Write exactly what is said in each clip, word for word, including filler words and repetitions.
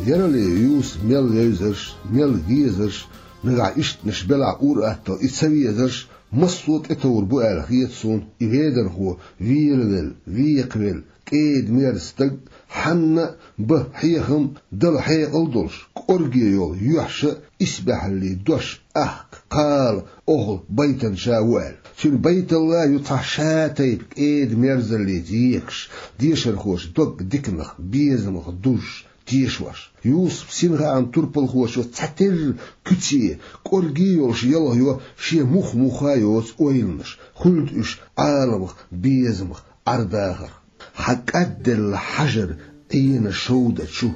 Ярале Юсуп мел вевзарш, мел везарш, нагахь ишттанаш белахь ур-атталла и ца везарш, массо а тӀетовр бу аьлла хета суна и ведархо, велавелла, векхавелла, кӀеда-мерза стаг, хьанна а бан хьехам а, дала хьекъал а долуш, кӀорге йолу юьхьаш а, исбаьхьаллин дош а, ахка, кхала, охьа байтанча ву аьлла. Цуьнан байталла ю цхьа ша тайпа кӀеда-мерзаллица екаш, дешархоша дог диканах, безамах дужуш, тешош. Юсупан синхааман турпалхочо цхьатерра куьце, кӀорге йолуш ялхайо шен мух-муха йоцу ойланаш, хуьлда уьш Ӏаламах, безамах, Ӏар-дахарх. Хьан кӀадделла хьажар Ӏена шовда чу,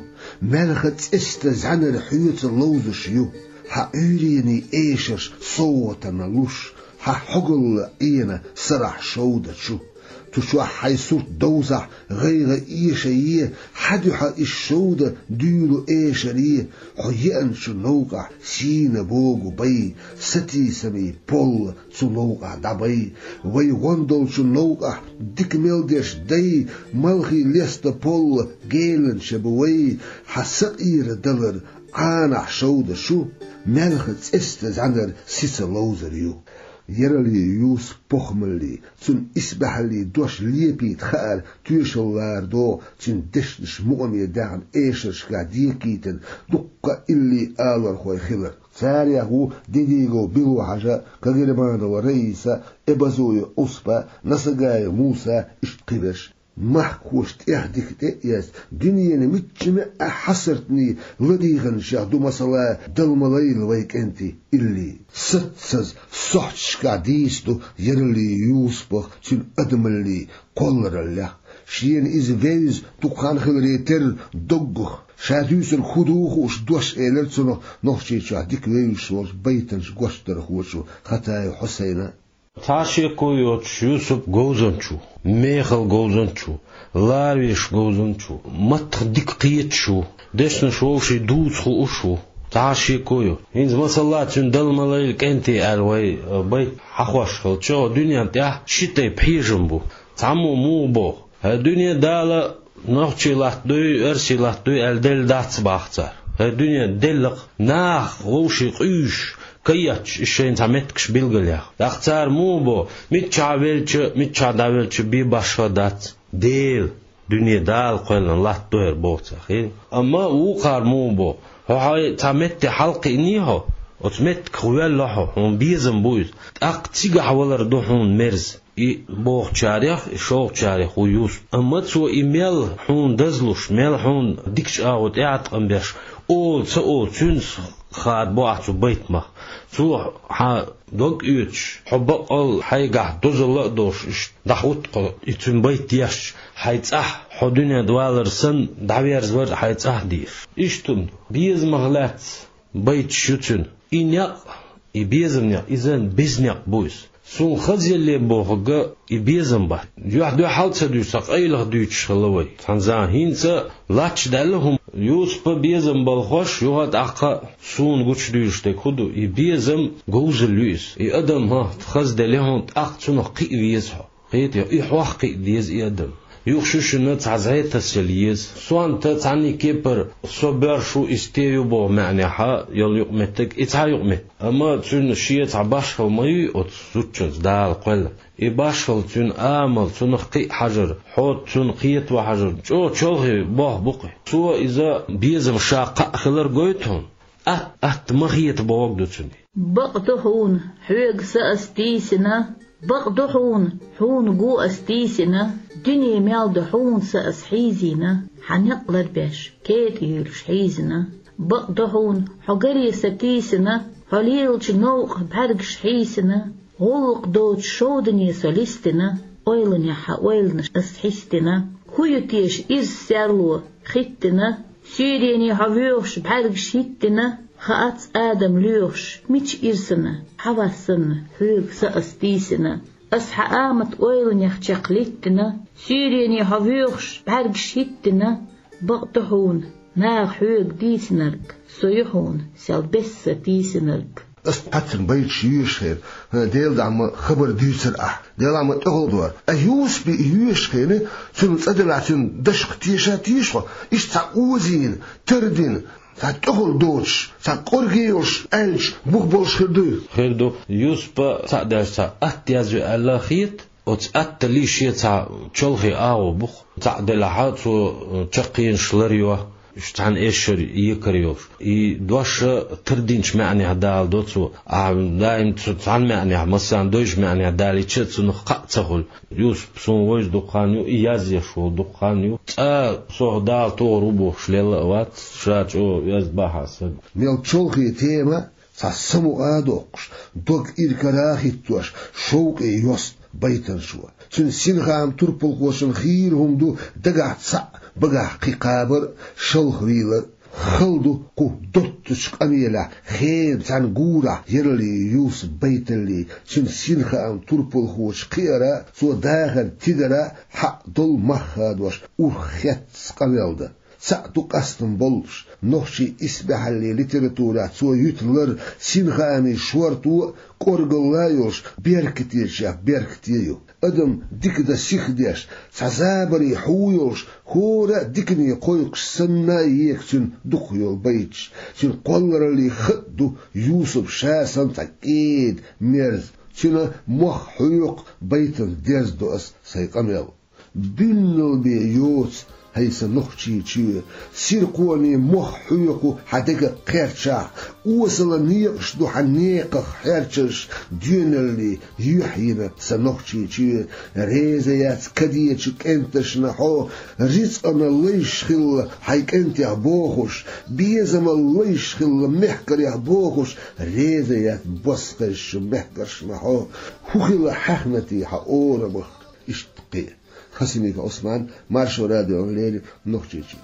маьлхан цӀестан зӀаьнар хьоьца ловзуш ю, хьан Ӏуьйренийн эшарш совгӀатана луш, хьан хьогалла Ӏена сарахь шовда чу. Цу чохь хьайн сурт довзахь, гӀайгӀа эша е, хьан дуьхьа иза шовда дуьйлу эшаре, хьо еанчу новкъахь сийна богу бай, сатийсамийн полла цу новкъахь дӀабай. Вай гӀон долчу новкъахь дика мел деш дай, малхий леста полла геланча бу вай, хьан сакъера далар Ӏанахь шовда чу, маьлхан цӀестан зӀаьнар сица ловзар ю. Ярале Юсупан похӀмаллин, цуьнан исбаьхьаллин дош лепийта хаар тоьшалла лара догӀу цуьнан дешнаш мукъаме даьхна эшаршкахь декийтина дуккха а илли алархой хилар. Царех ву Дедигов Било-Хьажа, Кагерманова Раиса, Эбазоев Ӏуспа, Насагаев Муса, иштта кхиберш. Махкахоша тӀех дика тӀе а эцна, дуьненан мичча а хьасартний ладийгӀанчех ду, масала, Дала ма лайла вай кӀентий илли. Саццаза сохьташкахь дийца ду Ярале Юсупах цуьнан адамаллин кхоллараллех. Шена иза вевза дукха хан хиларе терра доггах, ша дуьйцург хӀун ду хууш дош элира цунах Нохчийчохь дика вевзаш волчу байтанчу гочдархочо Хатаев Хьусайна. Цхьа шеко йоцуш Юсуп говзанча ву, мехала говзанча ву, ларвеш говзанча ву, маттах дика кхеташ ву, дешнаш вовшийн дуца хууш ву. Цхьа шеко ю. ХӀинца, масала, цуьнан Дала ма лайла кӀентий аьлла вай, э, байт хьахош хилча, дуьнен тӀехь ши тайпа хьежам бу. Цхьаммо муха боху: «ХӀай дуьне, Дала нохчий латтадой, оьрсий латтадой аьлла делла дац», — боху цара. ХӀай дуьне, делла-кх, наха вовшийн къуьйсуш, каетташ, иза шайна цхьа меттигаш билгалъяхна. ТӀаккха цара муха боху: «Миччахьа велча, миччахьа дӀавелча бен башха дац, Дела, дуьне Дала кхоьллина латтадо хӀара», — боху цара, хиъна. Амма вукхара муха боху: «Хьо хьайн цхьа метте хьалакхиъний хьо, оцу меттигах воьлла хьо, хьуна безам бу иза, тӀаккха цигахь валар ду хьуна мерза». И бохучарех, и шолгӀачарех ву Юсуп. Амма цо и мел хьуна дазлуш, мел хьуна дикачу агӀор тӀеӀаткъам беш, ола ца олу, цуьнца хадабо ахь цу байтамах. Цо хьан дог оьцуш, хьо баккъал хьайгахь дозалла а долуш, иштта дӀахӀутту хьо и цуьнан байт дешча, хьайн цӀахь, хьо дуьнен тӀе валар санна, дӀаверзавар а хьайн цӀахь дийша. Иштта безамах лаьцна байташ ю цуьнан. И некъ, и безам некъ, иза беза некъ бу иза. Суна хазъелле бохург и безам бац. Юьхь-дуьхьал а ца дуьйцуш, цхьа къайлаха дуьйцуш хилла вай. Цхьана заманахь хӀинца лач даьлла хӀума. Юсупа безам балхош, юха а тӀаккха суна гучудуьйлуш дерг хӀун ду? И безам говзалла ю иза. И адам, хӀа, хазделла хьуна, тӀаккха цунах кхиа веза хьо. Кхетий, и хьох кхиа деза и адам. Юха шу шуна цхьа зӀе тасаяла еза. Сонта цхьанний кепара со боьрша ву, и сте ю боху маьӀнехьа йолу юкъаметтиг, и цхьа юкъаметтиг. Амма цуьнан шен цхьа башхалла ма юй оцу зудчуьнца Дала кхоьллина. И башхалла, цуьнан амал, цунах кхиа хьажар, хьо цунна кхетаван хьажар, чӀогӀа чолхе болх бу-кх. Цо иза безам ша кхаъ хилар гойту хьуна. Атта, атта ма хета бохург ду цуьнан. Бакъ ду хьуна, хьоьга са ас тийсина, бакъ ду хьуна, хьуна го ас тийсина, дуьне мел ду хьуна са ас хьийзийна, хьан некъ ларбеш, кетӀа юьйлуш хьийзина. Бакъ ду хьуна, хьо гаре са тийсина, хьо лелачу новкъа бӀаьргаш хьийсина, гӀуллакх доцуш шовдане со листина, ойланехь хьан ойланаш ас хьистина. ХӀун ю теша иза серло хӀиттина, суьйрене хьо воьхуш бӀаьргаш хӀиттина, хаац адам лоьхуш, мича ирсана, хьавас санна, хьоьга са ас тийсина. Ас хьан амат ойланех чекх литтина, суьйрене хьо воьхуш бӀаьргаш хӀиттина, бакъ ду хьуна, наха хьоьга дийцинарг, со ю хьуна сел бесса тийсинарг. Ас хьацун байташ йоьшуш хилча, хӀа, Делан дуьхьа ма хабар дуьйцур ахь, Делан дуьхьа ма тӀехула дора. А Юсупа йоьшуш хилча, цуьнан цӀа делахь, цуьнан дашах теша а теша хьо, иштта цхьа озийна, тардина, цхьа тӀехула доцуш, цхьа кӀорге йолуш аьлча, бух болуш хир дуй? Хир ду. Юсупа цхьаъ даьлча цхьа атта язйо аьлла хета. Оцу атталлий шен цхьа чолхе агӀо бу-кх. Цхьаъ делахь, цо, э, чаккхенаш ларйо, уьш цхьана эшшара екар йолуш. И дош а тардинчу маьӀнехь даладо цо. Ахьа даим цу цхьана маьӀнехь, массарна дойчу маьӀнехь далийча а, цунах кхаъ ца хуьлу. Юсуп суна вевза дукха хан ю, и язъеш волу дукха хан ю. Цкъа сох Дала тохар ву бохуш лелла а вац, ша чӀогӀа оьзда бахьа стаг. Мел чолхе тема, цхьа самукъа а доккхуш, дог иракара а хӀиттош, шовкъе йост байтанаш ю. Цуьнан синхааман турпалхочун хийра хӀума ду дагахь цхьаъ, багахь кхин кхабар а, шалха вийлар а. Хала ду кху доттучу къамелехь, хенан цхьана гурахь яраллий Юсупан байталлий, цуьнан синхааман турпалхочун кхиара а, цо дахаран тидара а хьакъ долу мах хадош, урх хецна къамел дан. Цхьаъ ду къастам боллуш, нохчийн исбаьхьаллин литературехь цо юьту лар синхаамийн шорто а, кӀоргалла а йолуш, беркатечех беркате ю. Адам дика дан сихдеш, цхьа забаре хьу йолуш, хӀора а дикане кхойкхуш санна а еха цуьнан дукхах йолу байташ. Цуьнан кхоллараллин хатӀ ду Юсупа ша санна цхьа кӀеда, мерза. Цуьнан мох хьоькху байтана дерзадо ас сайн къамел. Буьнналла бен йоцу хӀай сан нохчийн чоь, сиркхонийн мох хьоькху хьан дегах кхерчахь, осала некъаш ду хьан некъах хьерчарш, доьналлий юьхь йина сан нохчийн чоь. Реза яц кадечу кӀенташна хьо, рицкъана лайш хилла хьайн кӀентех бохуш, безамал лайш хилла мехкарех бохуш, реза яц бос хезачу мехкаршна хьо, хӀун хилла хьаьхнатий хьан орамах. Иштта кхин. Хасимиков Ӏусман, Маршо радиона леррина, Нохчийчоь.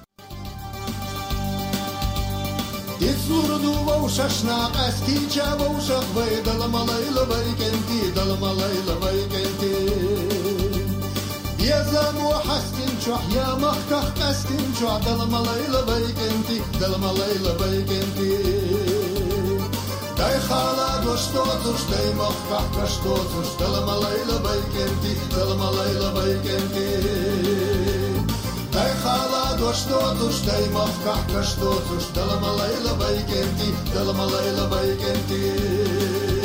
Иза лур ду вовшашна къаьстича вовшах вай, Дала ма лайла вай кӀентий, Дала ма лайла вай кӀентий. Безамо хьаьстинчохь, я махках къаьстинчохь, Дала ма лайла вай кӀентий, Дала ма лайла вай кӀентий. Дай хала дош доцуш, дай махках каш доцуш, Дала ма лайла вай кӀентий, Дала ма лайла вай кӀентий. Дай хала дош доцуш, дай махках каш доцуш, Дала ма лайла вай кӀентий, Дала ма лайла вай кӀентий.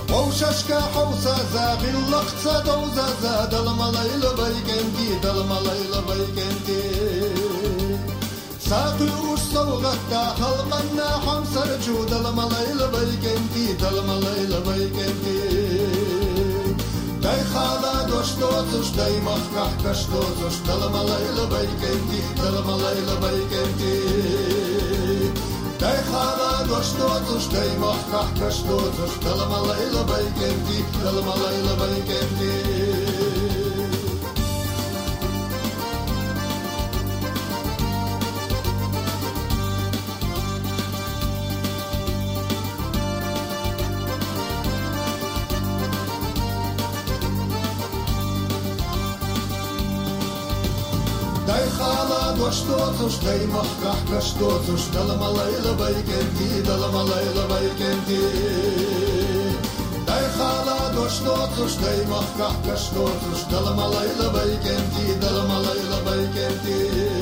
Вовшашка хьовсаза, гӀиллакхца довзаза, Дала ма лайла вай кӀентий, Дала ма лайла вай кӀентий. Са кхуьуш совгӀатда халкъанна хьомсарчу, Дала ма лайла вай кӀентий, Дала ма лайла вай кӀентий. Дай хала дош доцуш, дай махках каш доцуш, Дала ма лайла вай кӀентий, Дала ма лайла вай кӀентий. Дай хала дош доцуш, дай махках каш доцуш, Дала ма лайла вай кӀентий, Дала ма лайла вай кӀентий. Дай хала дош доцуш, дай махках каш доцуш, Дала ма лайла вай кӀентий, Дала ма лайла вай кӀентий. Дай хала дош доцуш, дай махках каш доцуш, Дала ма лайла вай кӀентий, Дала ма лайла вай кӀентий.